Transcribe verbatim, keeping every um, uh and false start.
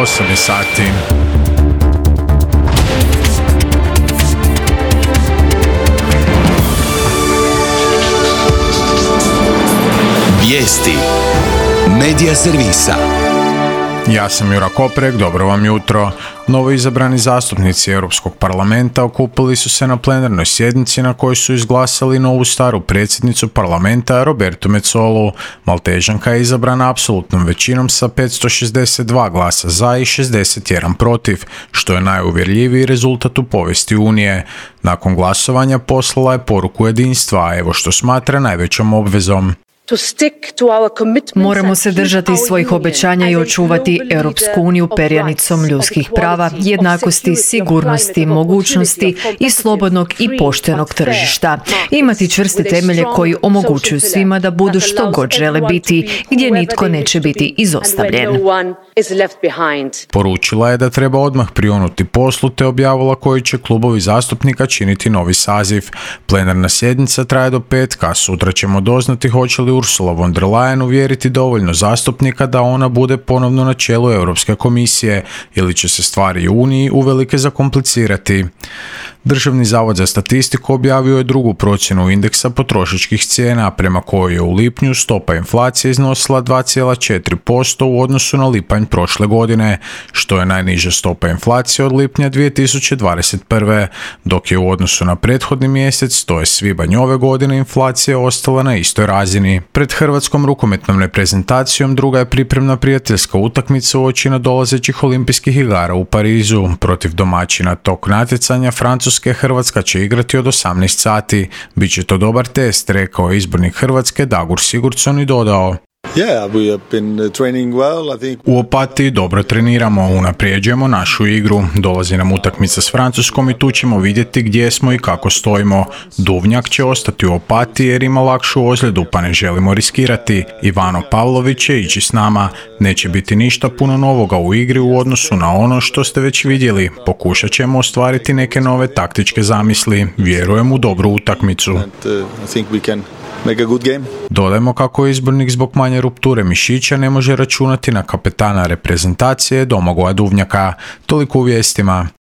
osam je sati. Vijesti Medija servisa. Ja sam Jura Koprek, dobro vam jutro. Novo izabrani zastupnici Europskog parlamenta okupili su se na plenarnoj sjednici na kojoj su izglasali novu staru predsjednicu parlamenta Robertu Mezzolu. Maltežanka je izabrana apsolutnom većinom sa petsto šezdeset dva glasa za i šezdeset jedan protiv, što je najuvjerljiviji rezultat u povijesti Unije. Nakon glasovanja poslala je poruku jedinstva, a evo što smatra najvećom obvezom. Moramo se držati svojih obećanja i očuvati Europsku uniju perjanicom ljudskih prava, jednakosti, sigurnosti, mogućnosti i slobodnog i poštenog tržišta. Imati čvrste temelje koji omogućuju svima da budu što god žele biti, gdje nitko neće biti izostavljen. Poručila je da treba odmah prionuti poslu te objavila koji će klubovi zastupnika činiti novi saziv. Plenarna sjednica traje do petka, sutra ćemo doznati hoće li Ursula von der Leyen uvjeriti dovoljno zastupnika da ona bude ponovno na čelu Europske komisije ili će se stvari u Uniji uvelike zakomplicirati. Državni zavod za statistiku objavio je drugu procjenu indeksa potrošačkih cijena prema kojoj je u lipnju stopa inflacije iznosila dva zarez četiri posto u odnosu na lipanj prošle godine, što je najniža stopa inflacije od lipnja dvije tisuće dvadeset prve. Dok je u odnosu na prethodni mjesec, to je svibanj ove godine, inflacija ostala na istoj razini. Pred hrvatskom rukometnom reprezentacijom druga je pripremna prijateljska utakmica uoči nadolazećih olimpijskih igara u Parizu. Protiv domaćina tog natjecanja Francuske Hrvatska će igrati od osamnaest sati. Biće to dobar test, rekao je izbornik Hrvatske Dagur Sigurdsson i dodao: Yeah, we have been training well, I think. U Opatiji dobro treniramo, unaprijeđujemo našu igru. Dolazi nam utakmica s Francuskom i tu ćemo vidjeti gdje smo i kako stojimo. Duvnjak će ostati u Opatiji jer ima lakšu ozljedu, pa ne želimo riskirati. Ivano Pavlović će ići s nama. Neće biti ništa puno novoga u igri u odnosu na ono što ste već vidjeli. Pokušat ćemo ostvariti neke nove taktičke zamisli. Vjerujem u dobru utakmicu. And, uh, I think we can make a good game. Dodajmo kako je izbornik zbog manje rupture mišića ne može računati na kapetana reprezentacije Domagoja Duvnjaka. Toliko u vijestima.